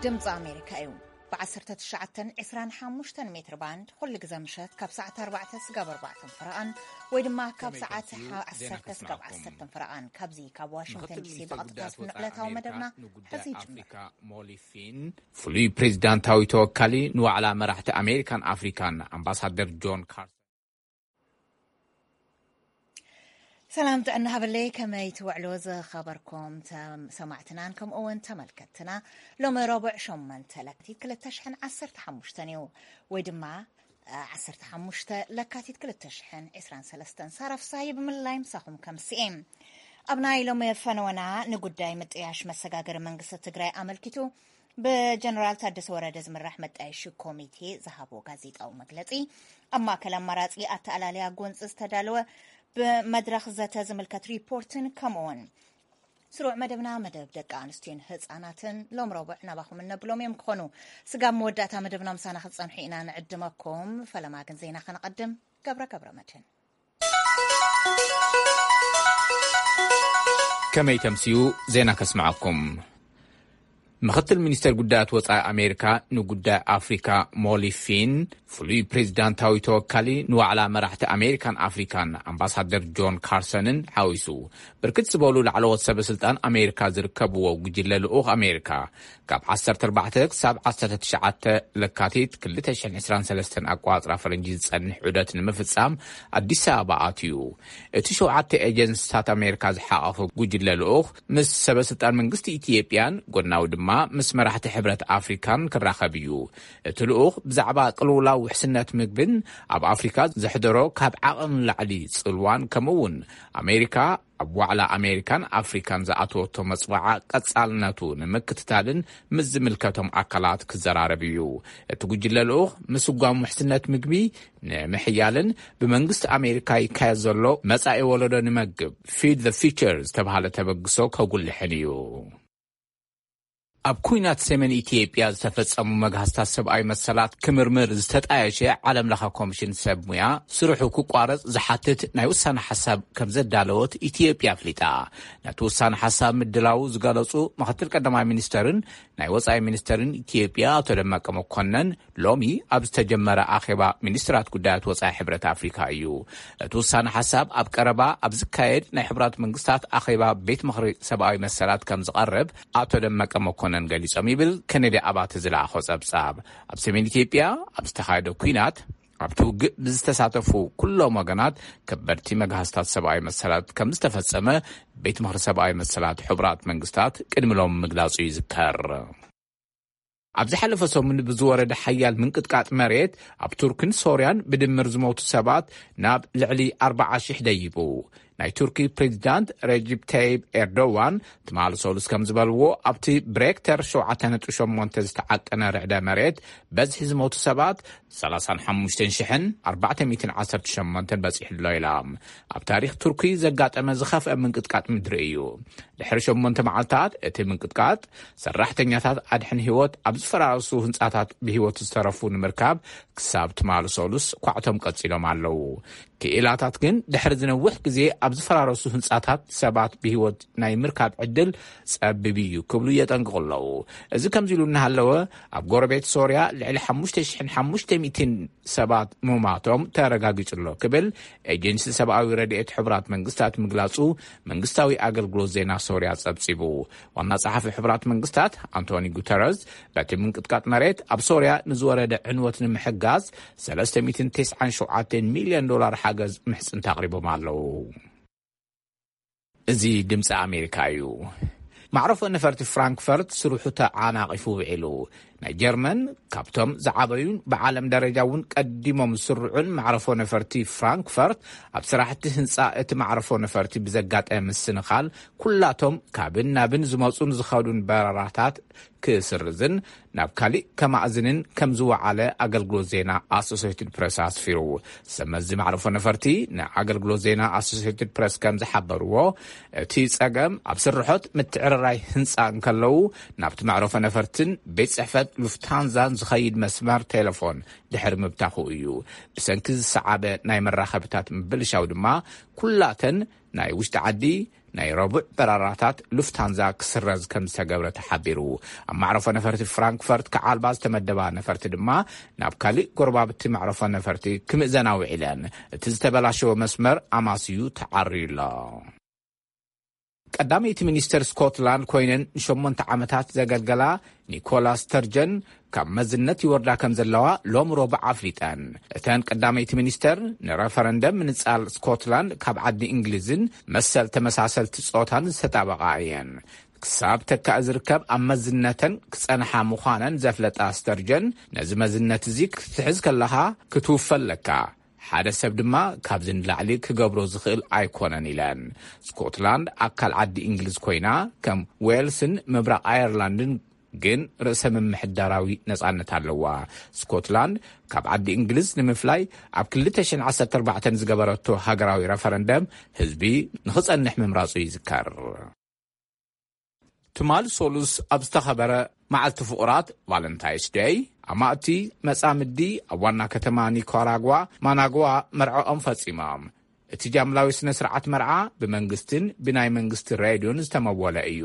ድምፂ ኣሜሪካ እዩ። ብ1925 ሜትር ባንድ ኩሉ ግዜ ምሸት ካብ ሰዓት ኣርባዕተ ስጋብ ኣርባዕተ ፈረቓን ወይ ድማ ካብ ሰዓት ዓሰርተ ስጋብ ዓሰርተ ፈረቓን፣ ካብዚ ካብ ዋሽንግተን ዲሲ ብቐጥታ ዝፍኖ ዕለታዊ መደብና ሕዚ ይጅምር። ሞሊፊን ፍሉይ ፕሬዚዳንታዊ ተወካሊ ንዋዕላ መራሕቲ ኣሜሪካን ኣፍሪካን ኣምባሳደር ጆን ካርሰን። ሰላም ጥዕና ሃበለይ፣ ከመይ ትውዕሉ ዝኸበርኩም ተም-፣ ሰማዕትናን ከምኡ እውን ተመልከትትና? ሎሚ ረቡዕ ሸሞንተ ለካቲት ክልተ ሽሕን ዓሰርተ ሓሙሽተን እዩ፣ ወይ ድማ፣ እ፣ ዓሰርተ ሓሙሽተ ለካቲት ክልተ ሽሕን ዕስራን ሰለስተን። ሳራ ፍሳሃየ ብምልላይ ምሳኹም ከምስኤ። ኣብ ናይ ሎሚ ፈነወና ንጉዳይ ምጥያሽ መሰጋገሪ መንግስቲ ትግራይ ኣመልኪቱ ብጀነራል ታደሰ ወረደ ዝምራሕ መጣየሺ ኮሚቴ ዝሃቦ ጋዜጣዊ መግለጺ፣ ኣብ ማእከል ኣማራጺ ኣተኣላልያ ጎንፂ ዝተዳለወ ብመድረኽ ዘተ ዝምልከት ሪፖርትን ከምኡውን ስሩዕ መደብና መደብ ደቂ ኣንስትዮን ህፃናትን ሎም ረቡዕ ናባኹም እነብሎም እዮም ክኾኑ። ስጋብ መወዳእታ መደብና ምሳና ክትፀንሑ ኢና ንዕድመኩም። ፈለማ ግን ዜና ከነቐድም። ገብረ ገብረ መድህን። ከመይ ተምስዩ ዜና ከስምዓኩም። ምኽትል ሚኒስተር ጉዳያት ወጻኢ ኣሜሪካ ንጉዳይ ኣፍሪካ ሞሊፊን፣ ፍሉይ ፕሬዚዳንታዊ ተወካሊ ንዋዕላ መራሕቲ ኣሜሪካን ኣፍሪካን ኣምባሳደር ጆን ካርሰንን ሓዊሱ ብርክት ዝበሉ ላዕለዎት ሰበ ስልጣን ኣሜሪካ ዝርከብዎ ጉጅለ ልኡኽ ኣሜሪካ ካብ ዓሰርተ ኣርባዕተ ክሳብ ዓሰርተ ትሽዓተ ለካቲት ክልተ ሽሕን ዕስራን ሰለስተን ኣቋጽራ ፈረንጂ ዝጸንሕ ዑደት ንምፍጻም ኣዲስ ኣበባ ኣትዩ። እቲ ሸውዓተ ኤጀንስታት ኣሜሪካ ዝሓቐፈ ጉጅለ ልኡኽ ምስ ሰበ ስልጣን መንግስቲ ኢትዮጵያን ጎናዊ ድማ ምስ መራሕቲ ሕብረት ኣፍሪካን ክራኸብ እዩ። እቲ ልኡኽ ብዛዕባ ቅልውላው ውሕስነት ምግብን ኣብ ኣፍሪካ ዘሕደሮ ካብ ዓቐን ላዕሊ ጽልዋን ከምኡ እውን ኣሜሪካ ኣብ ዋዕላ ኣሜሪካን ኣፍሪካን ዝኣተወቶ መጽዋዓ ቀጻልነቱ ንምክትታልን ምስ ዝምልከቶም ኣካላት ክዘራረብ እዩ። እቲ ጉጅለ ልኡኽ ምስጓም ውሕስነት ምግቢ ንምሕያልን ብመንግስቲ ኣሜሪካ ይካየድ ዘሎ መጻኢ ወለዶ ንመግብ፣ Feed the Future ዝተባህለ ተበግሶ ከጉልሕን እዩ። ኣብ ኩናት ሰሜን ኢትዮጵያ ዝተፈጸሙ መግሃስታት ሰብኣዊ መሰላት ክምርምር ዝተጣየሸ ዓለም ለኸ ኮሚሽን ሰብ ሙያ ስርሑ ክቋረጽ ዝሓትት ናይ ውሳነ ሓሳብ ከም ዘዳለወት ኢትዮጵያ ኣፍሊጣ። ነቲ ውሳነ ሓሳብ ምድላዉ ዝገለጹ ምኽትል ቀዳማይ ሚኒስተርን ናይ ወጻኢ ሚኒስተርን ኢትዮጵያ ኣቶ ደመቀ መኮነን ሎሚ ኣብ ዝተጀመረ ኣኼባ ሚኒስትራት ጉዳያት ወጻኢ ሕብረት ኣፍሪካ እዩ። እቲ ውሳነ ሓሳብ ኣብ ቀረባ ኣብ ዝካየድ ናይ ሕብራት መንግስታት ኣኼባ ቤት ምኽሪ ሰብኣዊ መሰላት ከም ዝቐርብ ኣቶ ደመቀ መኮነን ገሊጾም ይብል ከነዲ ኣባተ ዝለኣኾ ጸብጻብ። ኣብ ሰሜን ኢትዮጵያ ኣብ ዝተኻየደ ኲናት ኣብቲ ውግእ ብዝተሳተፉ ኩሎም ወገናት ከበድቲ መግሃስታት ሰብኣዊ መሰላት ከም ዝተፈጸመ ቤት ምኽሪ ሰብኣዊ መሰላት ሕቡራት መንግስታት ቅድሚ ሎም ምግላጹ ይዝከር። ኣብ ዝሓለፈ ሰሙን ብዝወረደ ሓያል ምንቅጥቃጥ መሬት ኣብ ቱርክን ሶርያን ብድምር ዝሞቱ ሰባት ናብ ልዕሊ ኣርባዓ ሽሕ ደይቡ። ናይ ቱርኪ ፕሬዚዳንት ረጂብ ታይብ ኤርዶዋን ትማሊ ሰሉስ ከም ዝበልዎ ኣብቲ ብሬክተር ሸውዓተ ነጥቢ ሸሞንተ ዝተዓቀነ ርዕደ መሬት በዝሒ ዝሞቱ ሰባት ሰላሳን ሓሙሽተን ሽሕን ኣርባዕተ ሚእትን ዓሰርተ ሸሞንተን በጺሑ ኣሎ ኢላ። ኣብ ታሪኽ ቱርኪ ዘጋጠመ ዝኸፍአ ምንቅጥቃጥ ምድሪ እዩ። ድሕሪ ሸሞንተ መዓልታት እቲ ምንቅጥቃጥ ሰራሕተኛታት ኣድሕን ህይወት ኣብ ዝፈራረሱ ህንጻታት ብህይወት ዝተረፉ ንምርካብ ክሳብ ትማሊ ሰሉስ ኳዕቶም ቀጺሎም ኣለዉ። ክኢላታት ግን ድሕሪ ዝነውሕ ግዜ ኣብ ዝፈራረሱ ህንጻታት ሰባት ብህይወት ናይ ምርካብ ዕድል ጸቢብ እዩ ክብሉ የጠንቅቑ ኣለዉ። እዚ ከምዚ ኢሉ እናሃለወ ኣብ ጎረቤት ሶርያ ልዕሊ ሓሙሽተ ሽሕን ሓሙሽተ ሚእትን ሰባት ምማቶም ተረጋጊጹ ኣሎ ክብል ኤጀንሲ ሰብኣዊ ረድኤት ሕቡራት መንግስታት ምግላጹ መንግስታዊ ኣገልግሎት ዜና ሶርያ ጸብጺቡ። ዋና ጸሓፊ ሕቡራት መንግስታት ኣንቶኒ ጉተረዝ በቲ ምንቅጥቃጥ መሬት ኣብ ሶርያ ንዝወረደ ዕንወት ንምሕጋዝ ሰለስተ ሚእትን ተስዓን ሸውዓተን ሚልዮን ዶላር ሓገዝ ምሕጽንታ ኣቕሪቦም ኣለዉ። እዚ ድምፂ ኣሜሪካ እዩ። ማዕረፎ ነፈርቲ ፍራንክፈርት ስርሑ ተዓናቒፉ ውዒሉ። ናይ ጀርመን ካብቶም ዝዓበዩን ብዓለም ደረጃ እውን ቀዲሞም ዝስርዑን ማዕረፎ ነፈርቲ ፍራንክፈርት ኣብ ስራሕቲ ህንፃ እቲ ማዕረፎ ነፈርቲ ብዘጋጠመ ምስንኻል ኩላቶም ካብን ናብን ዝመፁን ዝኸዱን በረራታት ክስርዝን ናብ ካሊእ ከማእዝንን ከም ዝወዓለ ኣገልግሎት ዜና ኣሶሴትድ ፕረስ ኣስፊሩ። ሰብ መዚ ማዕረፎ ነፈርቲ ንኣገልግሎት ዜና ኣሶሴትድ ፕረስ ከም ዝሓበርዎ፣ እቲ ጸገም ኣብ ስርሖት ምትዕርራይ ህንጻ እንከለዉ ናብቲ መዕረፎ ነፈርትን ቤት ጽሕፈት ሉፍታንዛን ዝኸይድ መስመር ቴሌፎን ድሕሪ ምብታኹ እዩ። ብሰንኪ ዝሰዓበ ናይ መራኸብታት ምብልሻው ድማ፣ ኩላተን ናይ ውሽጢ ዓዲ ናይ ረቡዕ በራራታት ሉፍታንዛ ክስረዝ ከም ዝተገብረ ተሓቢሩ። ኣብ ማዕረፎ ነፈርቲ ፍራንክፈርት ክዓልባ ዝተመደባ ነፈርቲ ድማ ናብ ካልእ ጎረባብቲ ማዕረፎ ነፈርቲ ክምእዘና ውዒለን። እቲ ዝተበላሸወ መስመር ኣማስዩ ተዓርዩ ኣሎ። ቀዳመይቲ ሚኒስተር ስኮትላንድ ኮይነን ንሸሞንተ ዓመታት ዘገልገላ ኒኮላ ስተርጀን ካብ መዝነት ይወርዳ ከም ዘለዋ ሎም ረቡዕ ኣፍሊጠን። እተን ቀዳመይቲ ሚኒስተር ንረፈረንደም ምንጻል ስኮትላንድ ካብ ዓዲ እንግሊዝን መሰል ተመሳሰልቲ ጾታን ዝተጣበቓ እየን። ክሳብ ተካእ ዝርከብ ኣብ መዝነተን ክጸንሓ ምዃነን ዘፍለጣ ስተርጀን፣ ነዚ መዝነት እዚ ክትሕዝ ከለኻ ክትውፈ ኣለካ። ሓደ ሰብ ድማ ካብዚ ንላዕሊ ክገብሮ ዝኽእል ኣይኮነን ኢለን። ስኮትላንድ ኣካል ዓዲ እንግሊዝ ኮይና፣ ከም ዌልስን ምብራቕ ኣየርላንድን ግን ርእሰ ምምሕዳራዊ ነጻነት ኣለዋ። ስኮትላንድ ካብ ዓዲ እንግሊዝ ንምፍላይ ኣብ ክልተ ሽሕን ዓሰርተ ኣርባዕተን ዝገበረቶ ሃገራዊ ረፈረንደም ህዝቢ ንኽጸንሕ ምምራጹ ይዝከር። ትማል ሶሉስ ኣብ ዝተኸበረ መዓልቲ ፍቑራት ቫለንታይንስ ደይ፣ ኣማእቲ መጻምዲ ኣብ ዋና ከተማ ኒካራጓ ማናጓ መርዓኦም ፈጺሞም። እቲ ጃምላዊ ስነ ስርዓት መርዓ ብመንግስትን ብናይ መንግስቲ ሬድዮን ዝተመወለ እዩ።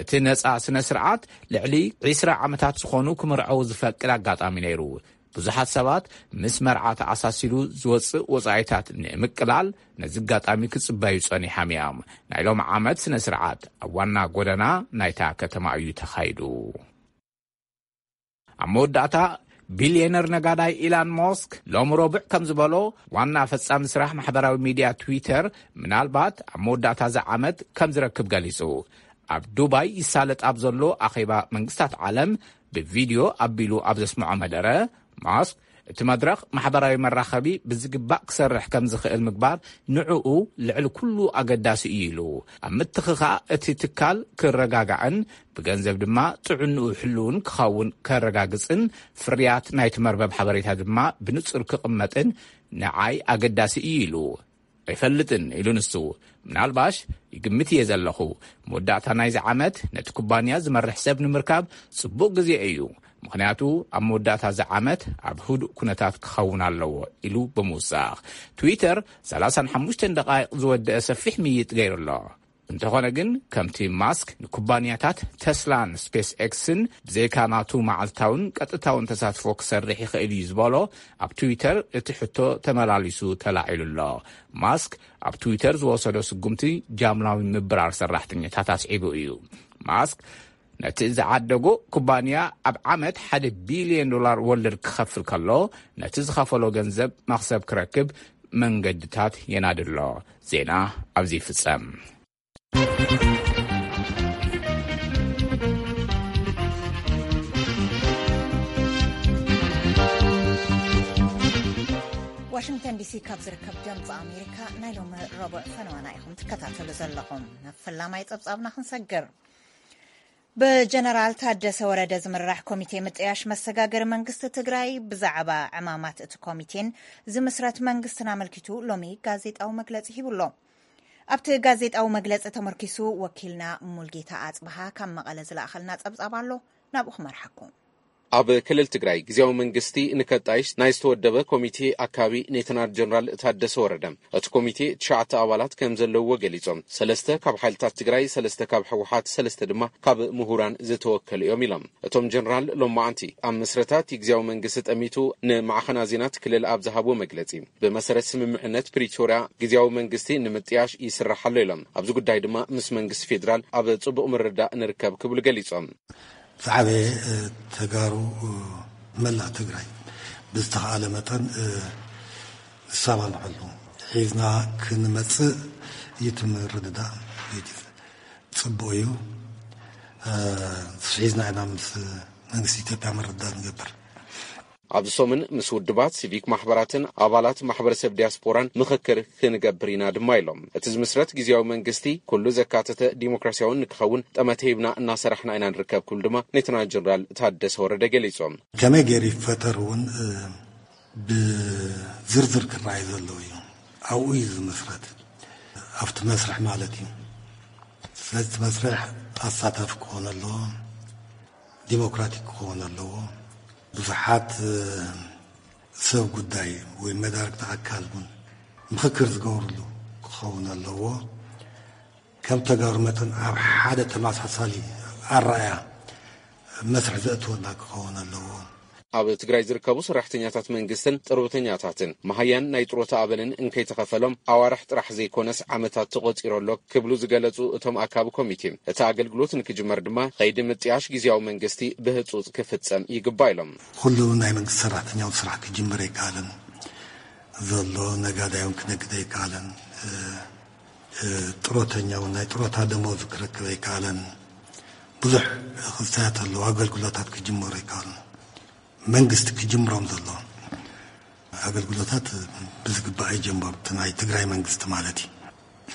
እቲ ነጻ ስነ ስርዓት ልዕሊ ዕስራ ዓመታት ዝኾኑ ክምርዐው ዝፈቅድ ኣጋጣሚ ነይሩ። ብዙሓት ሰባት ምስ መርዓ ተኣሳሲሩ ዝወጽእ ወጻኢታት ንምቅላል ነዚ ኣጋጣሚ ክጽበዩ ጸኒሖም እዮም። ናይ ሎም ዓመት ስነ ስርዓት ኣብ ዋና ጎደና ናይታ ከተማ እዩ ተኻይዱ። ኣብ መወዳእታ፣ ቢልየነር ነጋዳይ ኢላን ሞስክ ሎም ረቡዕ ከም ዝበሎ፣ ዋና ፈጻሚ ስራሕ ማሕበራዊ ሚድያ ትዊተር ምናልባት ኣብ መወዳእታ እዚ ዓመት ከም ዝረክብ ገሊጹ። ኣብ ዱባይ ይሳለጥ ኣብ ዘሎ ኣኼባ መንግስታት ዓለም ብቪድዮ ኣቢሉ ኣብ ዘስምዖ መደረ፣ ማስክ እቲ መድረኽ ማሕበራዊ መራኸቢ ብዝግባእ ክሰርሕ ከም ዝኽእል ምግባር ንዕኡ ልዕሊ ኩሉ ኣገዳሲ እዩ ኢሉ። ኣብ ምትኽኻእ እቲ ትካል ክረጋጋዕን ብገንዘብ ድማ ጥዕንኡ ሕሉውን ክኸውን ከረጋግጽን፣ ፍርያት ናይቲ መርበብ ሓበሬታ ድማ ብንጹር ክቕመጥን ንዓይ ኣገዳሲ እዩ ኢሉ። ኣይፈልጥን ኢሉ ንሱ። ምናልባሽ ይግምት እየ ዘለኹ። መወዳእታ ናይዚ ዓመት ነቲ ኩባንያ ዝመርሕ ሰብ ንምርካብ ጽቡቕ ግዜ እዩ። ምኽንያቱ ኣብ መወዳእታ እዚ ዓመት ኣብ ህዱእ ኩነታት ክኸውን ኣለዎ ኢሉ ብምውሳኽ፣ ትዊተር ሰላሳን ሓሙሽተን ደቓይቕ ዝወደአ ሰፊሕ ምይይጥ ገይሩ ኣሎ። እንተኾነ ግን፣ ከምቲ ማስክ ንኩባንያታት ተስላን ስፔስ ኤክስን ብዘይካ ናቱ መዓልታውን ቀጥታውን ተሳትፎ ክሰርሕ ይኽእል እዩ ዝበሎ፣ ኣብ ትዊተር እቲ ሕቶ ተመላሊሱ ተላዒሉ ኣሎ። ማስክ ኣብ ትዊተር ዝወሰዶ ስጉምቲ ጃምላዊ ምብራር ሰራሕተኛታት ኣስዒቡ እዩ። ማስክ ነቲ ዝዓደጎ ኩባንያ ኣብ ዓመት ሓደ ቢልዮን ዶላር ወለድ ክኸፍል ከሎ፣ ነቲ ዝኸፈሎ ገንዘብ መኽሰብ ክረክብ መንገድታት የናድሎ። ዜና ኣብዚ ይፍጸም። ዋሽንግተን ዲሲ ካብ ዝርከብ ድምፂ ኣሜሪካ ናይ ሎሚ ረቡዕ ፈነዋና ኢኹም ትከታተሉ ዘለኹም። ናብ ፈላማይ ፀብፃብና ክንሰግር። ብጀነራል ታደሰ ወረደ ዝምራሕ ኮሚቴ ምጥያሽ መሰጋገሪ መንግስቲ ትግራይ ብዛዕባ ዕማማት እቲ ኮሚቴን ዝምስረት መንግስትን ኣመልኪቱ ሎሚ ጋዜጣዊ መግለፂ ሂቡሎ። ኣብቲ ጋዜጣዊ መግለፂ ተመርኪሱ ወኪልና ሙልጌታ ኣፅብሃ ካብ መቐለ ዝለኣኸልና ፀብፃብ ኣሎ፣ ናብኡ ክመርሓኩም። ኣብ ክልል ትግራይ ግዜያዊ መንግስቲ ንከጣይሽ ናይ ዝተወደበ ኮሚቴ ኣካቢ ኔተናል ጀነራል ታደሰ ወረደ፣ እቲ ኮሚቴ ትሽዓተ ኣባላት ከም ዘለውዎ ገሊጾም። ሰለስተ ካብ ሓይልታት ትግራይ፣ ሰለስተ ካብ ህወሓት፣ ሰለስተ ድማ ካብ ምሁራን ዝተወከሉ እዮም ኢሎም። እቶም ጀነራል ሎማዓንቲ ኣብ ምስረታ እቲ ግዜያዊ መንግስቲ ጠሚቱ ንማዕኸናት ዜና እቲ ክልል ኣብ ዝሃብዎ መግለጺ፣ ብመሰረት ስምምዕነት ፕሪቶርያ ግዜያዊ መንግስቲ ንምጥያሽ ይስራሕ ኣሎ ኢሎም። ኣብዚ ጉዳይ ድማ ምስ መንግስቲ ፌዴራል ኣብ ጽቡቕ ምርድዳእ ንርከብ ክብሉ ገሊጾም። ዝዓበየ፣ እ፣ ተጋሩ፣ እ፣ መላእ ትግራይ ብዝተኻእለ መጠን፣ እ፣ ንሳማምዐሉ ሒዝና ክንመጽእ እዩ እቲ ምርድዳእ። ጽቡቕ እዩ። እ፣ ሒዝና ኢና ምስ መንግስቲ ኢትዮጵያ ምርድዳእ ንገብር። ኣብዚ ሰሙን ምስ ውድባት ሲቪክ ማሕበራትን ኣባላት ማሕበረሰብ ዲያስፖራን ምኽክር ክንገብር ኢና ድማ ኢሎም። እቲ ዝምስረት ግዜያዊ መንግስቲ ኩሉ ዘካተተ ዲሞክራሲያውን ንክኸውን ጠመተ ሂብና እናሰራሕና ኢና ንርከብ ክብሉ ድማ ሌተናል ጀነራል ታደሰ ወረደ ገሊጾም። ከመይ ገይሩ ይፈጠር እውን፣ እ፣ ብዝርዝር ክረኣይ ዘለዎ እዩ። ኣብኡ እዩ ዝምስረት፣ ኣብቲ መስርሕ ማለት እዩ። ስለዚ እቲ መስርሕ ኣሳታፊ ክኾን ኣለዎ። ዲሞክራቲክ ክኸውን ኣለዎ። ብዙሓት ሰብ ጉዳይ ወይ መዳርግቲ ኣካል እውን ምኽክር ዝገብርሉ ክኸውን ኣለዎ። ከም ተጋሩ መጠን ኣብ ሓደ ተመሳሳሊ ኣረኣያ መስርሕ ዘእትወና ክኸውን ኣለዎ። ኣብ ትግራይ ዝርከቡ ሰራሕተኛታት መንግስትን ጥርብተኛታትን መሃያን ናይ ጥሮታ ኣበልን እንከይተኸፈሎም ኣዋርሕ ጥራሕ ዘይኮነስ ዓመታት ተቆፂሩ ኣሎ ክብሉ ዝገለፁ እቶም ኣካቢ ኮሚቴ፣ እቲ ኣገልግሎት ንክጅመር ድማ ከይዲ ምጥያሽ ግዜያዊ መንግስቲ ብህፁፅ ክፍፀም ይግባእ ኢሎም። ኩሉ ናይ መንግስቲ ሰራሕተኛውን ስራሕ ክጅምር ኣይከኣለን ዘሎ፣ ነጋዳይ እውን ክነግድ ኣይከኣለን። ጥሮተኛ እውን ናይ ጥሮታ ደመወዙ ክረክብ ኣይከኣለን። ብዙሕ ክፍተያት ኣለዉ። ኣገልግሎታት ክጅመሩ ኣይከኣሉን። መንግስቲ ክጅምሮም ዘሎ ኣገልግሎታት ብዝግባእ ኣይጀመሩ። እቲ ናይ ትግራይ መንግስቲ ማለት እዩ።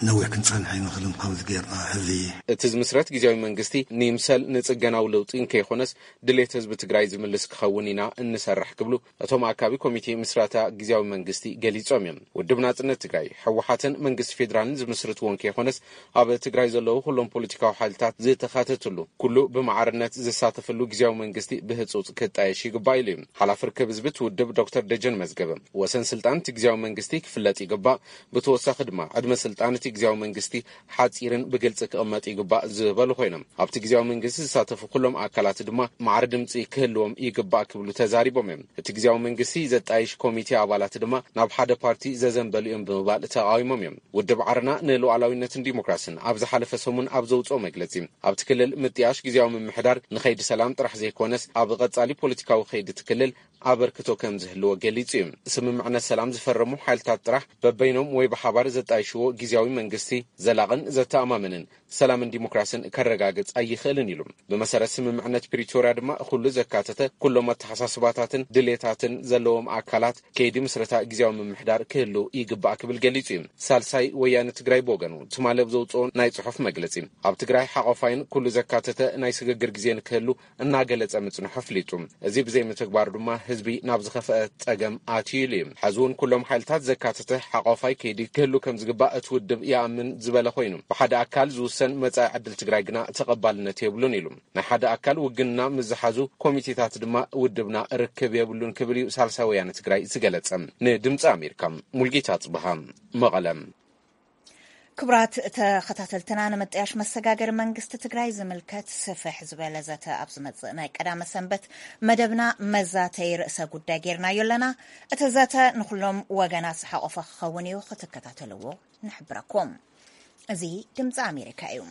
ነዊሕ ክንፀንሕ ኣይንኽልን። ከምዚ ጌርና ሕዚ እቲ ዝምስረት ግዜያዊ መንግስቲ ንይምሰል ንፅገናዊ ለውጢ እንከይኮነስ ድሌት ህዝቢ ትግራይ ዝምልስ ክኸውን ኢና እንሰርሕ ክብሉ እቶም ኣካቢ ኮሚቴ ምስረታ ግዜያዊ መንግስቲ ገሊጾም እዮም። ውድብ ናጽነት ትግራይ፣ ህወሓትን መንግስቲ ፌዴራልን ዝምስርትዎ እንከይኮነስ ኣብ ትግራይ ዘለዉ ኩሎም ፖለቲካዊ ሓይልታት ዝተኻተትሉ ኩሉ ብማዕርነት ዝሳተፍሉ ግዜያዊ መንግስቲ ብህፁፅ ክጣየሽ ይግባእ ኢሉ እዩ። ሓላፊ ርክብ ህዝቢ እቲ ውድብ ዶክተር ደጀን መዝገበ፣ ወሰን ስልጣን እቲ ግዜያዊ መንግስቲ ክፍለጥ ይግባእ፣ ብተወሳኺ ድማ ዕድመ ስልጣን እቲ ግዜያዊ መንግስቲ ሓፂርን ብግልፂ ክቕመጥ ይግባእ ዝበሉ ኮይኖም፣ ኣብቲ ግዜያዊ መንግስቲ ዝሳተፉ ኩሎም ኣካላት ድማ ማዕረ ድምፂ ክህልዎም ይግባእ ክብሉ ተዛሪቦም እዮም። እቲ ግዜያዊ መንግስቲ ዘጣይሽ ኮሚቴ ኣባላት ድማ ናብ ሓደ ፓርቲ ዘዘንበሉ እዮም ብምባል ተቃዊሞም እዮም። ውድብ ዓረና ንሉዓላዊነትን ዲሞክራስን ኣብ ዝሓለፈ ሰሙን ኣብ ዘውፅኦ መግለፂ፣ ኣብቲ ክልል ምጥያሽ ግዜያዊ ምምሕዳር ንኸይዲ ሰላም ጥራሕ ዘይኮነስ ኣብ ቀፃሊ ፖለቲካዊ ከይዲ እቲ ክልል ኣበርክቶ ከም ዝህልዎ ገሊጹ እዩ። ስምምዕነት ሰላም ዝፈረሙ ሓይልታት ጥራሕ በበይኖም ወይ ብሓባር ዘጣይሽዎ ግዜያዊ መንግስቲ ዘላቕን ዘተኣማምንን ሰላምን ዲሞክራስን ከረጋግጽ ኣይኽእልን ኢሉ። ብመሰረት ስምምዕነት ፕሪቶርያ ድማ ኩሉ ዘካተተ ኩሎም ኣተሓሳስባታትን ድሌታትን ዘለዎም ኣካላት ከይዲ ምስረታ ግዜያዊ ምምሕዳር ክህሉ ይግባእ ክብል ገሊጹ እዩ። ሳልሳይ ወያነ ትግራይ ብወገኑ ትማሊ ኣብ ዘውፅኦ ናይ ጽሑፍ መግለጺ ኣብ ትግራይ ሓቆፋይን ኩሉ ዘካተተ ናይ ስግግር ግዜ ንክህሉ እናገለጸ ምጽንሑ ኣፍሊጡ። እዚ ብዘይምትግባሩ ድማ ህዝቢ ናብ ዝኸፍአ ጸገም ኣትዩ ኢሉ እዩ። ሕዚ እውን ኩሎም ሓይልታት ዘካተተ ሓቋፋይ ከይዲ ክህሉ ከም ዝግባእ እቲ ውድብ ይኣምን ዝበለ ኮይኑ፣ ብሓደ ኣካል ዝውሰን መጻኢ ዕድል ትግራይ ግና ተቐባልነት የብሉን ኢሉ። ናይ ሓደ ኣካል ውግንና ምስ ዝሓዙ ኮሚቴታት ድማ ውድብና ርክብ የብሉን ክብል እዩ ሳልሳይ ወያነ ትግራይ ዝገለጸ። ንድምፂ ኣሜሪካ ሙልጌታ ጽብሃ መቐለ። ክቡራት ተኸታተልትና፣ ንምጥያሽ መሰጋገሪ መንግስቲ ትግራይ ዝምልከት ስፍሕ ዝበለ ዘተ ኣብ ዝመጽእ ናይ ቀዳመ ሰንበት መደብና መዛተይ ርእሰ ጉዳይ ጌርናዮ ኣለና። እቲ ዘተ ንኹሎም ወገናት ዝሓቆፈ ክኸውን እዩ፣ ክትከታተልዎ ንሕብረኩም። እዚ ድምፂ ኣሜሪካ እዩ።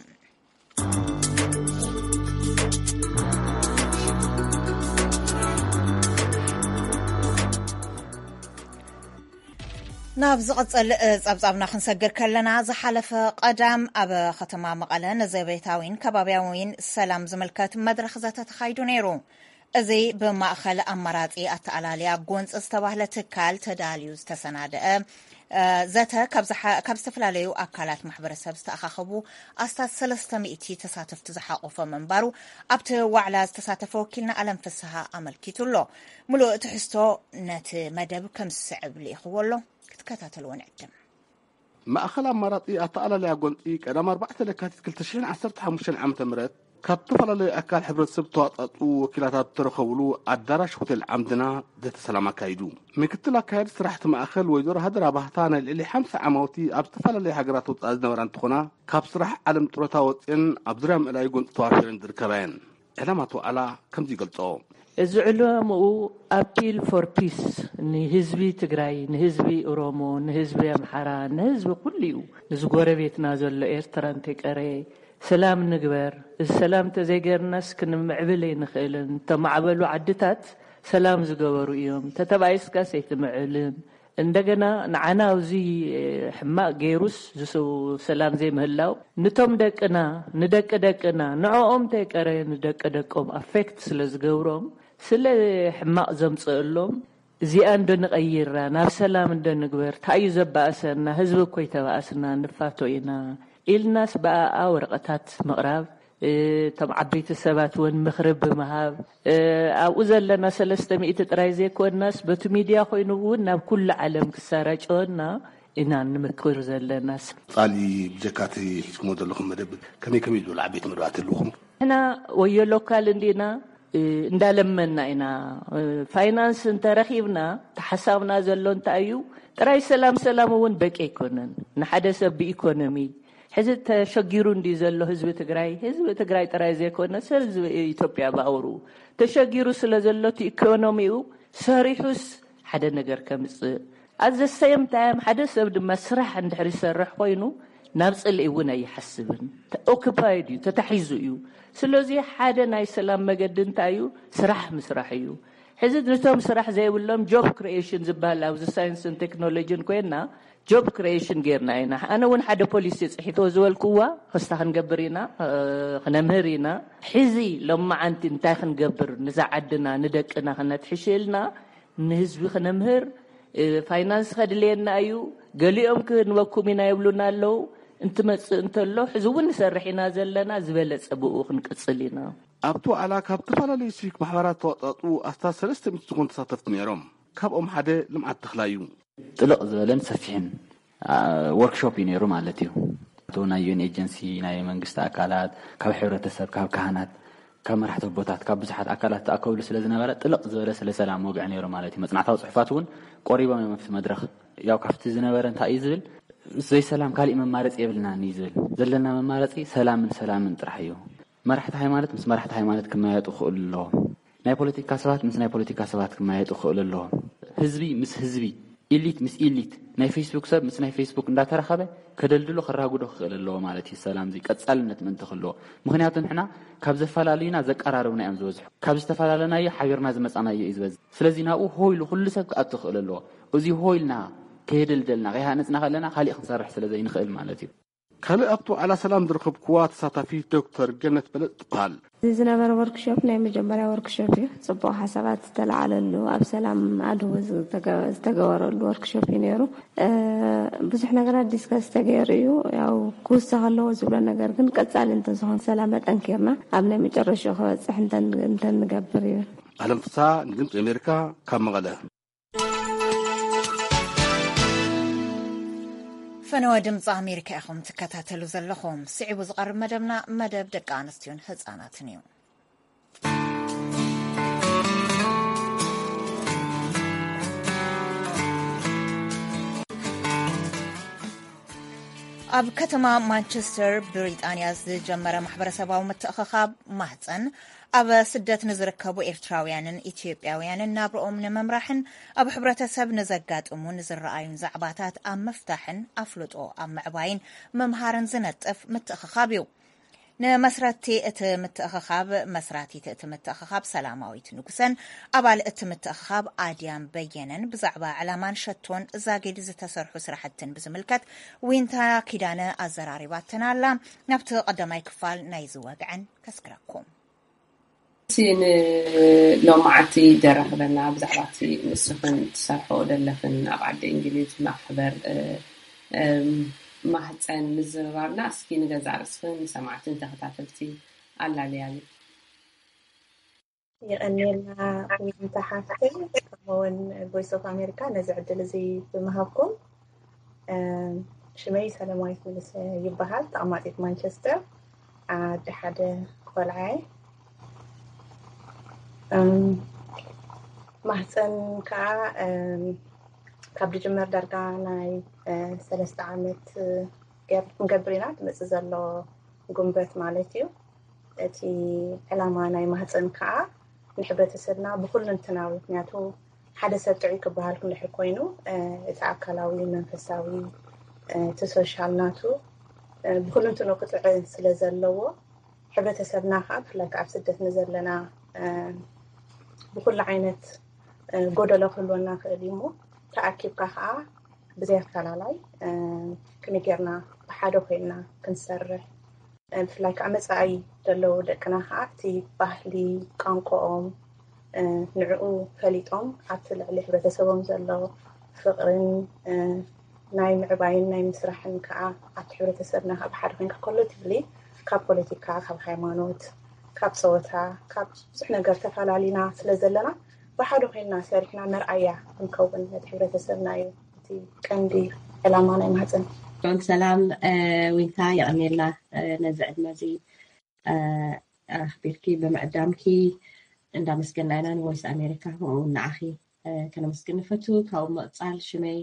ናብ ዝቕጽል ጸብጻብና ክንሰግር ከለና፣ ዝሓለፈ ቀዳም ኣብ ከተማ መቐለ ንዘቤታዊን ከባብያዊን ሰላም ዝምልከት መድረኽ ዘተ ተኻይዱ ነይሩ። እዚ ብማእኸል ኣማራጺ ኣተኣላልያ ጎንፂ ዝተባህለ ትካል ተዳልዩ ዝተሰናደአ ዘተ ካብ ዝተፈላለዩ ኣካላት ማሕበረሰብ ዝተኣኻኸቡ ኣስታት ሰለስተ ሚእቲ ተሳተፍቲ ዝሓቆፈ ምንባሩ ኣብቲ ዋዕላ ዝተሳተፈ ወኪልና ኣለም ፍስሃ ኣመልኪቱ ኣሎ። ምሉእ ትሕዝቶ ነቲ መደብ ከም ዝስዕብ ልኢኽዎ ኣሎ፣ ክትከታተልዎ ንዕድም። ማእኸል ኣማራጺ ኣተኣላልያ ጎንፂ ቀዳም ኣርባዕተ ለካቲት ክልተ ሽሕን ዓሰርተ ሓሙሽተን ዓመተ ምህረት ካብ ዝተፈላለዩ ኣካል ሕብረተሰብ ዝተዋፃፅኡ ወኪላት ኣብ ዝተረኸብሉ ኣዳራሽ ሆቴል ዓምድና ዘተ ሰላም ኣካይዱ። ምክትል ኣካያዲ ስራሕቲ ማእኸል ወይዘሮ ሃደራ ባህታ ናይ ልዕሊ ሓምሳ ዓማውቲ ኣብ ዝተፈላለዩ ሃገራት ወፃኢ ዝነበራ እንትኾና፣ ካብ ስራሕ ዓለም ጥሮታ ወፅኤን ኣብ ዙርያ ምእላይ ጎንፂ ተዋፊረን ዝርከባ እየን። ዕላማ እቲ ዋዕላ ከምዚ ይገልፆ። እዚ ዕላምኡ ኣፒል ፎር ፒስ ንህዝቢ ትግራይ፣ ንህዝቢ ኦሮሞ፣ ንህዝቢ ኣምሓራ፣ ንህዝቢ ኩሉ እዩ። ንዝጎረቤትና ዘሎ ኤርትራ እንተይቀረየ ሰላም ንግበር። እዚ ሰላም እንተዘይገርናስ ክንምዕብል ኣይንኽእልን። እተማዕበሉ ዓድታት ሰላም ዝገበሩ እዮም። ተተባኢስካስ ኣይትምዕልን። እንደገና ንዓና ኣብዚ ሕማቕ ገይሩስ ዝስው ሰላም ዘይምህላው፣ ንቶም ደቅና፣ ንደቂ ደቅና፣ ንዕኦም እንተይቀረ ንደቂ ደቆም ኣፌክት ስለ ዝገብሮም፣ ስለ ሕማቕ ዘምፅእሎም፣ እዚኣ እንዶ ንቐይራ፣ ናብ ሰላም እንዶ ንግበር፣ እንታይ እዩ ዘባእሰና፣ ህዝቢ እኮ ይተባእስና፣ ንፋቶ ኢና ኢልናስ ብኣኣ ወረቐታት ምቕራብ፣ እቶም ዓበይቲ ሰባት እውን ምኽሪ ብምሃብ፣ ኣብኡ ዘለና ሰለስተ ሚእቲ ጥራይ ዘይኮንናስ በቲ ሚድያ ኮይኑ እውን ናብ ኩሉ ዓለም ክሰራጨወና ኢና ንምክር ዘለናስ። ጻሊ ብጀካ እቲ ሒዝኩሞ ዘለኹም መደብ ከመይ ከመይ ዝበሉ ዓበይቲ መደባት ኣለኹም? ንሕና ወዮ ሎካል እንዲና እንዳለመና ኢና። ፋይናንስ እንተረኺብና፣ ተሓሳብና ዘሎ እንታይ እዩ? ጥራይ ሰላም ሰላም እውን በቂ ኣይኮነን። ንሓደ ሰብ ብኢኮኖሚ ሕዚ ተሸጊሩ እንዲ ዘሎ ህዝቢ ትግራይ፣ ህዝቢ ትግራይ ጥራይ ዘይኮነ ሰብ ህዝቢ ኢትዮጵያ ብኣውሩ ተሸጊሩ ስለ ዘሎ፣ እቲ ኢኮኖሚኡ ሰሪሑስ ሓደ ነገር ከምፅእ፣ ኣዘሰየም ታይም ሓደ ሰብ ድማ ስራሕ እንድሕር ይሰርሕ ኮይኑ ናብ ፅልኢ እውን ኣይሓስብን። ኦክፓይድ እዩ፣ ተታሒዙ እዩ። ስለዚ ሓደ ናይ ሰላም መገዲ እንታይ እዩ? ስራሕ ምስራሕ እዩ። ሕዚ ነቶም ስራሕ ዘይብሎም ጆብ ክሪኤሽን ዝበሃል ኣብዚ ሳይንስን ቴክኖሎጂን ኮይና ጆብ ክሪኤሽን ጌርና ኢና። ኣነ እውን ሓደ ፖሊሲ ፅሒቶ ዝበልክዋ ክስታ ክንገብር ኢና፣ ክነምህር ኢና። ሕዚ ሎማዓንቲ እንታይ ክንገብር፣ ንዛ ዓድና ንደቅና ክነትሕሽልና ንህዝቢ ክነምህር፣ ፋይናንስ ከድልየና እዩ። ገሊኦም ክንበኩም ኢና ይብሉና ኣለዉ። እንትመፅእ እንተሎ ሕዚ እውን ንሰርሕ ኢና ዘለና፣ ዝበለፀ ብኡ ክንቅፅል ኢና። ኣብቲ ዋዕላ ካብ ዝተፈላለዩ ሲቪክ ማሕበራት ተዋጣጡ ኣስታት ሰለስተ ሚእቲ ዝኾኑ ተሳተፍቲ ነይሮም። ካብኦም ሓደ ልምዓት ተኽላ እዩ። ጥልቕ ዝበለን ሰፊሕን ወርክሾፕ እዩ ነይሩ ማለት እዩ። ናይ ዩን ኤጀንሲ፣ ናይ መንግስቲ ኣካላት፣ ካብ ሕብረተሰብ፣ ካብ ካህናት፣ ካብ መራሕቲ ኣቦታት፣ ካብ ብዙሓት ኣካላት ተኣከብሉ ስለ ዝነበረ ጥልቕ ዝበለ ስለ ሰላም ወግዒ ነይሩ ማለት እዩ። መፅናዕታዊ ፅሑፋት እውን ቆሪቦም እዮም ኣብቲ መድረኽ። ያው ካብቲ ዝነበረ እንታይ እዩ ዝብል፣ ዘይሰላም ካሊእ መማረፂ የብልናን እዩ ዝብል። ዘለና መማረፂ ሰላምን ሰላምን ጥራሕ እዩ። መራሕቲ ሃይማኖት ምስ መራሕቲ ሃይማኖት ክመያየጡ ክኽእሉ ኣለዎም። ናይ ፖለቲካ ሰባት ምስ ናይ ፖለቲካ ሰባት ክመያየጡ ክኽእሉ ኣለዎም። ህዝቢ ምስ ህዝቢ፣ ኢሊት ምስ ኢሊት፣ ናይ ፌስቡክ ሰብ ምስ ናይ ፌስቡክ እንዳተራኸበ ከደልድሎ ከራጉዶ ክኽእል ኣለዎ ማለት እዩ። ሰላም እዚ ቀጻልነት ምእንቲ ክህልዎ፣ ምኽንያቱ ንሕና ካብ ዘፈላልዩና ዘቀራርቡና እዮም ዝበዝሑ። ካብ ዝተፈላለናዮ ሓቢርና ዝመጻናዮ እዩ ዝበዝሕ። ስለዚ ናብኡ ሆ ኢሉ ኩሉ ሰብ ክኣቱ ክኽእል ኣለዎ። እዚ ሆ ኢልና ከየደልደልና ከይሃነጽና ከለና ካሊእ ክንሰርሕ ስለ ዘይንኽእል ማለት እዩ። ካልእ ኣብቲ ዋዕላ ሰላም ዝረኸብክዋ ተሳታፊት ዶክተር ገነት በለጥ ትበሃል። እዚ ዝነበረ ወርክሾፕ ናይ መጀመርያ ወርክሾፕ እዩ። ጽቡቕ ሓሳባት ዝተለዓለሉ፣ ኣብ ሰላም ኣድህቦ ዝተገበረሉ ወርክሾፕ እዩ ነይሩ። ብዙሕ ነገራት ዲስከስ ተገይሩ እዩ። ያው ክውሰኽ ኣለዎ ዝብሎ ነገር ግን ቀጻሊ እንተዝኾን ሰላም ኣጠንኪርና ኣብ ናይ መጨረሻ ክበጽሕ እንተንገብር እዩ። ኣለም ፍስሃ ንድምፂ ኣሜሪካ ካብ መቐለ። ፈነወ ድምፂ ኣሜሪካ ኢኹም ትከታተሉ ዘለኹም። ስዒቡ ዝቐርብ መደብና መደብ ደቂ ኣንስትዮን ህፃናትን እዩ። ኣብ ከተማ ማንቸስተር ብሪጣንያ ዝጀመረ ማሕበረሰባዊ ምትእኽኻብ ማህፀን ኣብ ስደት ንዝርከቡ ኤርትራውያንን ኢትዮጵያውያንን ናብርኦም ንምምራሕን ኣብ ሕብረተሰብ ንዘጋጥሙ ንዝረኣዩን ዛዕባታት ኣብ ምፍታሕን ኣፍልጦ ኣብ ምዕባይን ምምሃርን ዝነጥፍ ምትእኽኻብ እዩ። ንመስረቲ እቲ ምትእኽኻብ መስራቲት እቲ ምትእኽኻብ ሰላማዊት ንጉሰን ኣባል እቲ ምትእኽኻብ ኣድያም በየነን ብዛዕባ ዕላማን ሸቶን ዛጊድ ዝተሰርሑ ስራሕትን ብዝምልከት ዊንታ ኪዳነ ኣዘራሪባተን ኣላ። ናብቲ ቀዳማይ ክፋል ናይዚ ወግዐን ከስግረኩም። ንሎማዓንቲ ደራኽበና ብዛዕባ እቲ ንስኽን ትሰርሖ ደለኽን ኣብ ዓዲ እንግሊዝ ማሕበር ማህፀን ምዝርራብና እስኪ ንገዛእ ርእስኽን ንሰማዕትን ተኸታተልቲ ኣላልያሉ። የቐንየልና ዊንታ ሓፍተይ፣ ከምኡውን ቮይስ ኦፍ ኣሜሪካ ነዚ ዕድል እዚ ብምሃብኩም። ሽመይ ሰለማዊት ምልሰ ይበሃል። ተቐማጢት ማንቸስተር፣ ኣደ ሓደ ቆልዓ እየ። ማህፀን ከዓ ካብ ዝጅመር ዳርጋ ናይ ሰለስተ ዓመት ገር ክንገብር ኢና። ትመፅእ ዘሎ ጉንበት ማለት እዩ። እቲ ዕላማ ናይ ማህፀን ከዓ ንሕብረተሰብና ብኩልንትናዊ፣ ምክንያቱ ሓደ ሰብ ጥዑይ ክበሃል ክንድሕር ኮይኑ እቲ ኣካላዊ፣ መንፈሳዊ፣ እቲ ሶሻል ናቱ ብኩልንትኑ ክጥዕን ስለ ዘለዎ፣ ሕብረተሰብና ከዓ ብፍላይ ከዓ ኣብ ስደት ንዘለና ብኩሉ ዓይነት ጎደሎ ክህልወና ክእል እዩ። እሞ ተኣኪብካ ከዓ ብዘይ ኣፈላላይ ከመይ ጌርና ብሓደ ኮይንና ክንሰርሕ፣ ብፍላይ ከዓ መፃኢ ዘለዉ ደቅና ከዓ እቲ ባህሊ፣ ቋንቋኦም፣ ንዕኡ ፈሊጦም ኣብቲ ልዕሊ ሕብረተሰቦም ዘሎ ፍቕርን ናይ ምዕባይን ናይ ምስራሕን ከዓ ኣብቲ ሕብረተሰብና ከዓ ብሓደ ኮይንካ ኮሌክቲቭሊ ካብ ፖለቲካ፣ ካብ ሃይማኖት፣ ካብ ፀወታ፣ ካብ ብዙሕ ነገር ተፈላሊና ስለ ዘለና ብሓደ ኮይንና ሰሪሕና መርኣያ ክንከውን ነቲ ሕብረተሰብና እዩ እቲ ቀንዲ ዕላማ ናይ ማህፀን። ሰላም ዊንታ፣ የቐንየልና ነዚ ዕድመ እዚ ኣኽቢርኪ ብምዕዳምኪ። እንዳመስገና ኢና ንቮይስ ኣሜሪካ፣ ከምኡ እውን ንዓኺ ከነመስግን ንፈቱ። ካብኡ ምቕፃል ሽመይ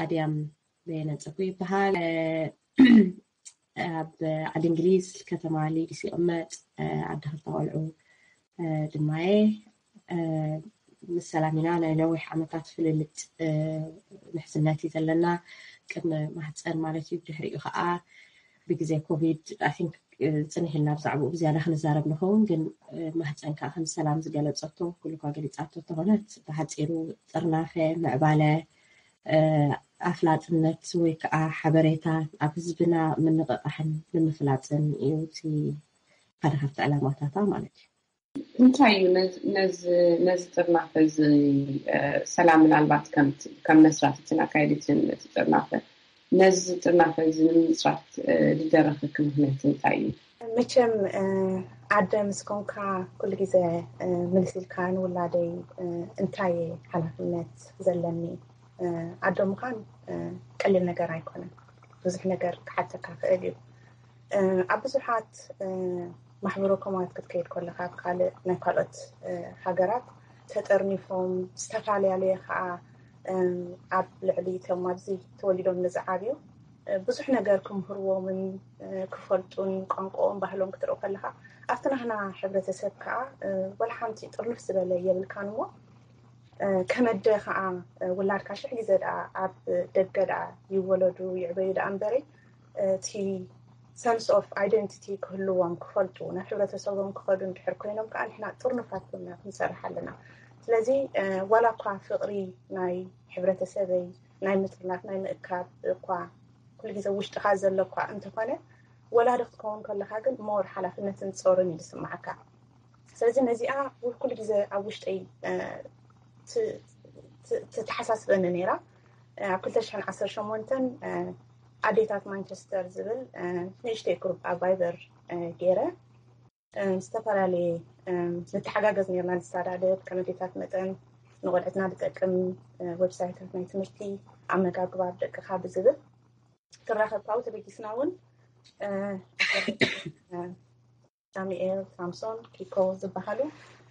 ኣድያም በየነ ፀጉ ይበሃል። ኣብ ዓዲ እንግሊዝ ከተማ ሊድስ ይቕመጥ። ዓዲ ክልተ ቆልዑ ድማየ። ምስ ሰላም ኢና ናይ ነዊሕ ዓመታት ፍልልጥ ምሕዝነት እዩ ዘለና። ቅድሚ ማህፀን ማለት እዩ። ብድሕሪኡ ከዓ ብግዜ ኮቪድ I think ፅንሕ ኢልና ብዛዕባኡ ብዝያዳ ክንዛረብ ንኸውን፣ ግን ማህፀን ከዓ ከም ሰላም ዝገለፀቶ ኩሉ እኳ ገሊፃቶ እንተኾነት ብሓፂሩ ጥርናፈ፣ ምዕባለ፣ ኣፍላጥነት ወይ ከዓ ሓበሬታ ኣብ ህዝብና ምንቕቓሕን ንምፍላጥን እዩ እቲ ሓደ ካብቲ ዕላማታታ ማለት እዩ። እንታይ እዩ ነዚ ጥርናፈ እዚ ሰላም ምናልባት ከም መስራትትን ኣካየዲትን እቲ ጥርናፈ ነዚ ጥርናፈ እዚ ንምስራት ዝደረኸኪ ምክንያት እንታይ እዩ? መቸም ኣደ ምስ ኮንካ ኩሉ ግዜ ምልስ ኢልካ ንውላደይ እንታይ ሓላፍነት ዘለኒ ኣዶ ምዃን ቀሊል ነገር ኣይኮነን። ብዙሕ ነገር ክሓተካ ክእል እዩ። ኣብ ብዙሓት ማሕበረ ኮማት ክትከይድ ከለካ ኣብ ካልእ ናይ ካልኦት ሃገራት ተጠርኒፎም ዝተፈላለያለየ ከዓ ኣብ ልዕሊ እቶም ኣብዚ ተወሊዶም ንዝዓብዩ ብዙሕ ነገር ክምህርዎምን ክፈልጡን ቋንቋኦም ባህሎም ክትርኢ ከለካ ኣብቲ ናህና ሕብረተሰብ ከዓ ወላ ሓንቲ ጥርንፍ ዝበለ የብልካን እሞ ከመደ ከዓ ውላድካ ሽሕ ግዜ ደኣ ኣብ ደገ ደኣ ይወለዱ ይዕበዩ ደኣ እምበረይ እቲ sense of identity ክህልዎም ክፈልጡ ናብ ሕብረተሰቦም ክኸዱ እንድሕር ኮይኖም ከዓ ንሕና ጥርኑፋት ኮይና ክንሰርሕ ኣለና። ስለዚ ዋላ እኳ ፍቕሪ ናይ ሕብረተሰበይ ናይ ምጥርናፍ ናይ ምእካብ እኳ ኩሉ ግዜ ውሽጥኻ ዘሎ እኳ እንተኾነ ወላዲ ክትከውን ከለካ ግን more ሓላፍነትን ጾርን እዩ ዝስማዓካ። ስለዚ ነዚኣ ኩሉ ግዜ ኣብ ውሽጠይ ትተሓሳስበኒ ነይራ። ኣብ ክልተ ሽሕን ዓሰርተ ሸሞንተን ኣዴታት ማንቸስተር ዝብል ንእሽተይ ግሩፕ ኣብ ቫይበር ገይረ ዝተፈላለየ ንተሓጋገዝ ነርና ንሳዳደብ ከም ኣዴታት መጠን ንቆልዕትና ዝጠቅም ዌብሳይታት ናይ ትምህርቲ ኣመጋግባ ደቅኻ ብዝብል ትራኸብ ካብኡ ተበጊስና እውን ሳሙኤል ሳምሶን ኪኮ ዝበሃሉ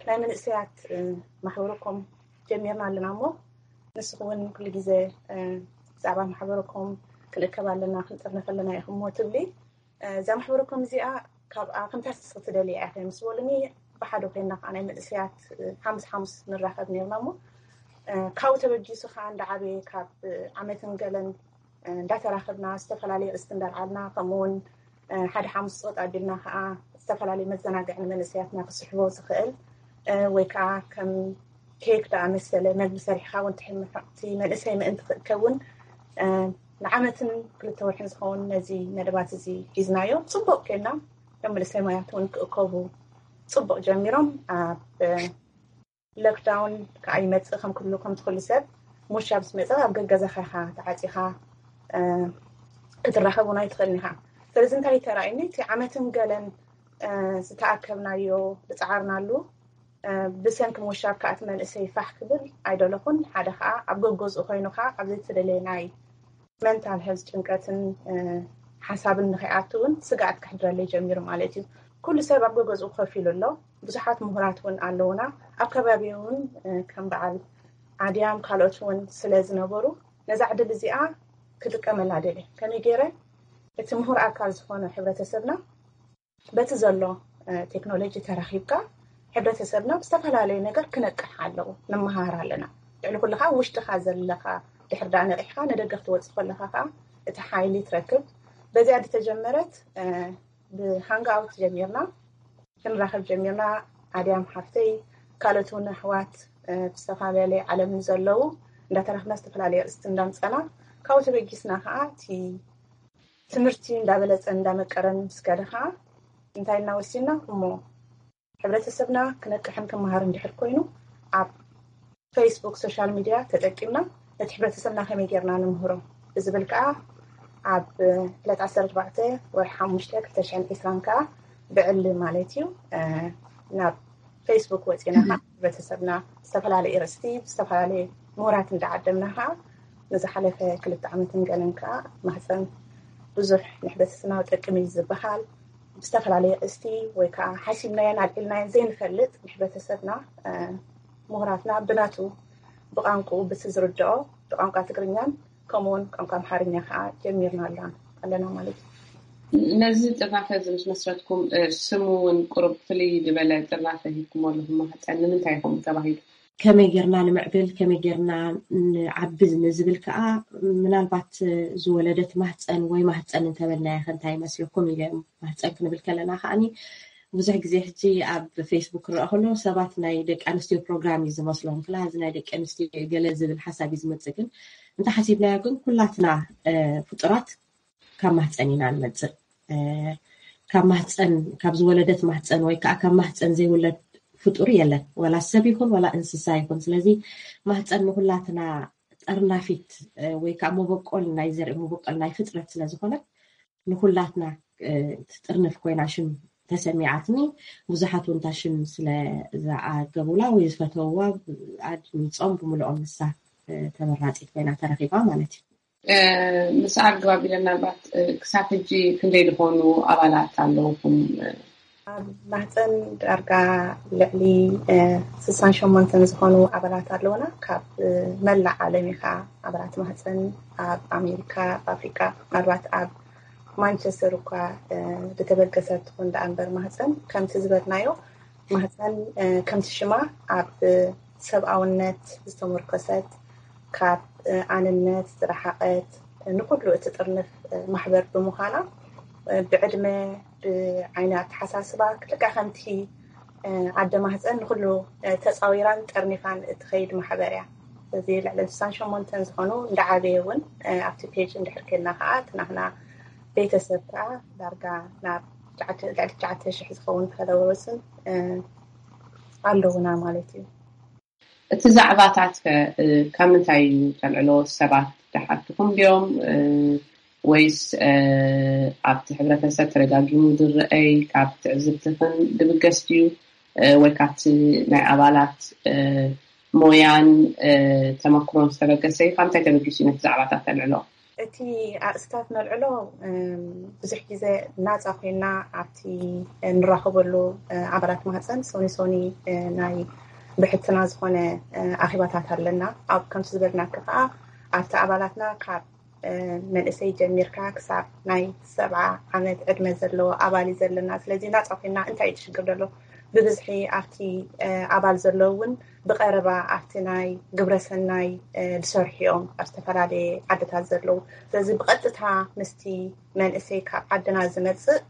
ናይ መንእሰያት ማሕበረኮም ጀሚርና ኣለና እሞ ንስኹ እውን ኩሉ ግዜ ብዛዕባ ማሕበረኮም ክንእከብ ኣለና ክንጥርነፍ ኣለና ኢኹም እሞ ትብሊ እዛ ማሕበረኮም እዚኣ ካብኣ ከምታ ንስኺ ትደልያ ኢኺ ምስ በሉኒ ብሓደ ኮይና ከዓ ናይ መንእሰያት ሓሙስ ሓሙስ ንራኸብ ነርና እሞ ካብኡ ተበጊሱ ከዓ እንዳዓበየ ካብ ዓመትን ገለን እንዳተራኸብና ዝተፈላለዩ ርእስቲ እንዳልዓልና ከምኡውን ሓደ ሓሙስ ፆጥ ኣቢልና ከዓ ዝተፈላለዩ መዘናግዒ ንመንእሰያትና ክስሕቦ ዝኽእል ወይ ከዓ ከም ኬክ ደኣ መሰለ መግቢ ሰሪሕካ እውን ትሕምቲ መንእሰይ ምእንቲ ክእከብ እውን ንዓመትን ክልተ ወርሕን ዝኸውን ነዚ መደባት እዚ ሒዝናዮ ፅቡቅ ኮይና ከም መንእሰይ ማያት እውን ክእከቡ ፅቡቅ ጀሚሮም ኣብ ሎክዳውን ከዓ ይመፅእ ከም ኩሉ ከም ትኩሉ ሰብ ሙሻ ምስ መፀ ኣብ ገገዛኻ ኢኻ ተዓፂኻ ክትራኸብ እውን ኣይትኽእልን ኢኻ። ስለዚ እንታይ ተራእዩኒ እቲ ዓመትን ገለን ዝተኣከብናዮ ዝፀዓርናሉ ብሰንኪ ሙሻ ከዓ እቲ መንእሰይ ፋሕ ክብል ኣይደለኹን። ሓደ ከዓ ኣብ ገገዝኡ ኮይኑ ከዓ ኣብ ዘይተደለየ ናይ መንታል ሄልዝ ጭንቀትን ሓሳብን ንኸይኣቱ እውን ስግኣት ከሕድረለይ ጀሚሩ ማለት እዩ። ኩሉ ሰብ ኣብ ገገዝኡ ኮፍ ኢሉ ኣሎ። ብዙሓት ምሁራት እውን ኣለውና ኣብ ከባቢ እውን ከም በዓል ኣድያም ካልኦት እውን ስለ ዝነበሩ ነዛ ዕድል እዚኣ ክጥቀመላ ደልየ። ከመይ ገይረ እቲ ምሁር ኣካል ዝኾነ ሕብረተሰብና በቲ ዘሎ ቴክኖሎጂ ተራኺብካ ሕብረተሰብና ብዝተፈላለዩ ነገር ክነቅሕ ኣለዎ። ንመሃር ኣለና። ልዕሊ ኩሉ ከዓ ውሽጥኻ ዘለኻ ድሕር ዳ ነቂሕካ ንደገ ክትወፅእ ከለኻ ከዓ እቲ ሓይሊ ትረክብ። በዚኣ ዝተጀመረት ብሃንግ ኣውት ጀሚርና ክንራኸብ ጀሚርና። ኣድያም ሓፍተይ ካልኦት እውን ኣሕዋት ብዝተፈላለየ ዓለም ንዘለዉ እንዳተራኽብና ዝተፈላለዩ ኣርእስቲ እንዳምፀና ካብኡ ተበጊስና ከዓ እቲ ትምህርቲ እንዳበለፀን እንዳመቀረን ምስ ከደ ከዓ እንታይ ኢልና ወሲንና እሞ ሕብረተሰብና ክነቅሕን ክመሃር እንድሕር ኮይኑ ኣብ ፌስቡክ ሶሻል ሚድያ ተጠቂምና ነቲ ሕብረተሰብና ከመይ ጌርና ንምህሮ ብዝብል ከዓ ኣብ ዕለት ዓሰርተ ኣርባዕተ ወርሒ ሓሙሽተ ክልተ ሽሕን ዕስራን ከዓ ብዕሊ ማለት እዩ ናብ ፌስቡክ ወፂና ከዓ ሕብረተሰብና ዝተፈላለዩ ርእስቲ ብዝተፈላለዩ ምሁራት እንዳዓደምና ከዓ ንዝሓለፈ ክልተ ዓመትን ገለን ከዓ ማህፀን ብዙሕ ንሕብረተሰብና ጠቅም እዩ ዝበሃል ብዝተፈላለየ ኣርእስቲ ወይ ከዓ ሓሲብናዮን ኣልዒልናዮን ዘይንፈልጥ ንሕብረተሰብና፣ ምሁራትና ብናቱ፣ ብቋንቋኡ ብቲ ዝርድኦ፣ ብቋንቋ ትግርኛን ከምኡውን ቋንቋ ኣምሓርኛ ከዓ ጀሚርና ኣለና ማለት እዩ። ነዚ ጥርናፈ እዚ ምስ መስረትኩም፣ ስሙ እውን ቁሩብ ፍልይ ዝበለ ጥርናፈ ሂብኩም ኣለኹም። ማህፀን ንምንታይ ይኸውን ተባሂሉ? ከመይ ጌርና ንምዕብል፣ ከመይ ጌርና ንዓቢ ንዝብል ከዓ፣ ምናልባት ዝወለደት ማህፀን ወይ ማህፀን እንተበልናያ ከ እንታይ ይመስለኩም ኢለ። ማህፀን ክንብል ከለና ከዓኒ ብዙሕ ግዜ ሕጂ ኣብ ፌስቡክ ክረአ ከሎ ሰባት ናይ ደቂ ኣንስትዮ ፕሮግራም እዩ ዝመስሎም። ክላ እዚ ናይ ደቂ ኣንስትዮ ገለ ዝብል ሓሳብ እዩ ዝመፅእ። ግን እንተሓሲብናዮ ግን ኩላትና ፍጡራት ካብ ማህፀን ኢና ንመፅእ። ካብ ማህፀን፣ ካብ ዝወለደት ማህፀን ወይ ከዓ ካብ ማህፀን ዘይውለድ ፍጡር የለን። ዋላ ሰብ ይኹን ዋላ እንስሳ ይኹን። ስለዚ ማህፀን ንኩላትና ጠርናፊት ወይ ከዓ መበቆል ናይ ዘርኢ መበቆል ናይ ፍጥረት ስለዝኾነ ንኩላትና ትጥርንፍ ኮይና ሽም ተሰሚዓትኒ። ብዙሓት እውን እታ ሽም ስለ ዝዓገቡላ ወይ ዝፈተውዋ ኣድሚፆም ብምልኦም ንሳ ተመራፂት ኮይና ተረኺባ ማለት እዩ። ምስ ኣግባብ ኢለ ምናልባት ክሳብ ሕጂ ክንደይ ዝኾኑ ኣባላት ኣለውኩም? ኣብ ማህፀን ዳርጋ ልዕሊ ስሳን ሸሞንተን ዝኾኑ ኣባላት ኣለውና። ካብ መላእ ዓለም ኢኻ ኣባላት ማህፀን ኣብ ኣሜሪካ፣ ኣብ ኣፍሪካ፣ ምናልባት ኣብ ማንቸስተር እኳ ዝተበገሰት ትኹን ደኣ እምበር ማህፀን ከምቲ ዝበልናዮ ማህፀን ከምቲ ሽማ ኣብ ሰብኣውነት ዝተመርኮሰት ካብ ኣንነት ዝረሓቐት ንኩሉ እትጥርንፍ ማሕበር ብምዃና ብዕድመ ብዓይኒ ኣተሓሳስባ ልክዕ ከምቲ ኣደ ማህፀን ንኩሉ ተፃዊራን ጠርኒፋን እትኸይድ ማሕበር እያ። እዚ ልዕሊ ስሳን ሸሞንተን ዝኾኑ እንዳዓበየ እውን ኣብቲ ፔጅ እንድሕር ኬድና ከዓ እቲ ናትና ቤተሰብ ከዓ ዳርጋ ናብ ልዕሊ ትሽዓተ ሽሕ ዝኸውን ፎሎወርስን ኣለውና ማለት እዩ። እቲ ዛዕባታት ከ ካብ ምንታይ እዩ ተልዕሎ? ሰባት ደሓትኹም ድዮም ወይስ ኣብቲ ሕብረተሰብ ተደጋጊሙ ዝረኣይ ካብ ትዕዝብትኽን ድብገስ ድዩ ወይ ካብቲ ናይ ኣባላት ሞያን ተመክሮን ዝተበገሰ እዩ? ካብ ምንታይ ተበጊሱ እዩ ነቲ ዛዕባታት ተልዕሎ? እቲ ኣርእስታት ነልዕሎ ብዙሕ ግዜ ናፃ ኮይና ኣብቲ እንራኸበሉ ኣባላት ማህፀን ሶኒ ሶኒ ናይ ብሕትና ዝኾነ ኣኼባታት ኣለና። ኣብ ከምቲ ዝበልናኪ ከዓ ኣብቲ ኣባላትና ካብ መንእሰይ ጀሚርካ ክሳብ ናይ ሰብዓ ዓመት ዕድመ ዘለዎ ኣባል እዩ ዘለና። ስለዚ ናፃ ኮይና እንታይ እዩ ሽግር ዘሎ ብብዝሒ ኣብቲ ኣባል ዘሎ እውን ብቐረባ ኣብቲ ናይ ግብረሰናይ ዝሰርሑ እዮም ኣብ ዝተፈላለየ ዓድታት ዘለዉ። ስለዚ ብቐጥታ ምስቲ መንእሰይ ካብ ዓድና ዝመፅእ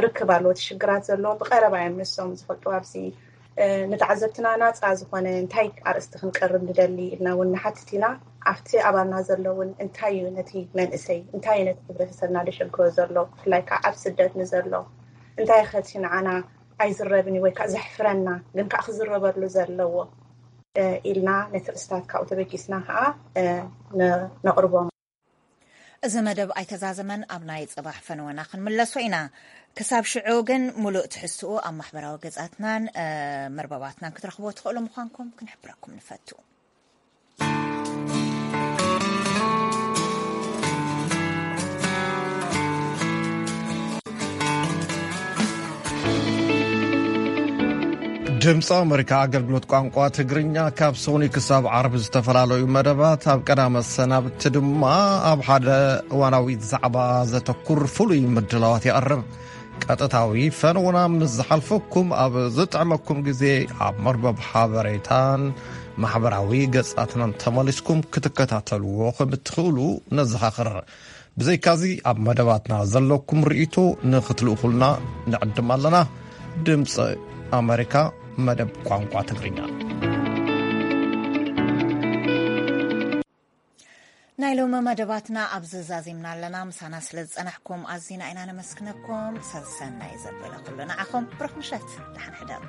ርክብ ኣለዎ። እቲ ሽግራት ዘለዎም ብቐረባ እዮም ንሶም ዝፈልጡ። ኣብዚ ንተዓዘብትና ናፃ ዝኾነ እንታይ ኣርእስቲ ክንቀርብ ንደሊ ኢልና እውን ንሓትት ኢና። ኣብቲ ኣባልና ዘሎ እውን እንታይ እዩ ነቲ መንእሰይ እንታይ እዩ ነቲ ሕብረተሰብና ዘሸግሮ ዘሎ ብፍላይ ከዓ ኣብ ስደት ንዘሎ እንታይ ኸቲ ንዓና ኣይዝረብን እዩ ወይ ከዓ ዘሕፍረና ግን ከዓ ክዝረበሉ ዘለዎ ኢልና ነቲ ርእስታት ካብኡ ተበጊስና ከዓ ነቕርቦም። እዚ መደብ ኣይተዛዘመን ኣብ ናይ ፅባሕ ፈነወና ክንምለሶ ኢና። ክሳብ ሽዑ ግን ሙሉእ ትሕዝትኡ ኣብ ማሕበራዊ ገፃትናን መርበባትናን ክትረኽቦ ትኽእሉ ምዃንኩም ክንሕብረኩም ንፈቱ። ድምፂ ኣመሪካ ኣገልግሎት ቋንቋ ትግርኛ ካብ ሶኒ ክሳብ ዓርቢ ዝተፈላለዩ መደባት ኣብ ቀዳመ ሰናብቲ ድማ ኣብ ሓደ እዋናዊ ዛዕባ ዘተኩር ፍሉይ ምድላዋት የቕርብ። ቀጥታዊ ፈነውና ምስ ዝሓልፈኩም ኣብ ዝጥዕመኩም ግዜ ኣብ መርበብ ሓበሬታን ማሕበራዊ ገጻትናን ተመሊስኩም ክትከታተልዎ ከም እትኽእሉ ነዘኻኽር። ብዘይካዚ ኣብ መደባትና ዘለኩም ርእይቶ ንኽትልእኹልና ንዕድም ኣለና። ድምፂ ኣመሪካ መደብ ቋንቋ ትግርኛ። ናይ ሎሚ መደባትና ኣብዚ ዛዚምና ኣለና። ምሳና ስለ ዝጸናሕኩም ኣዚና ኢና ነመስግነኩም። ሰሰናይ ዘበለ ኩሉ ንዓኹም። ብሩኽ ምሸት፣ ደሓን ሕደሩ።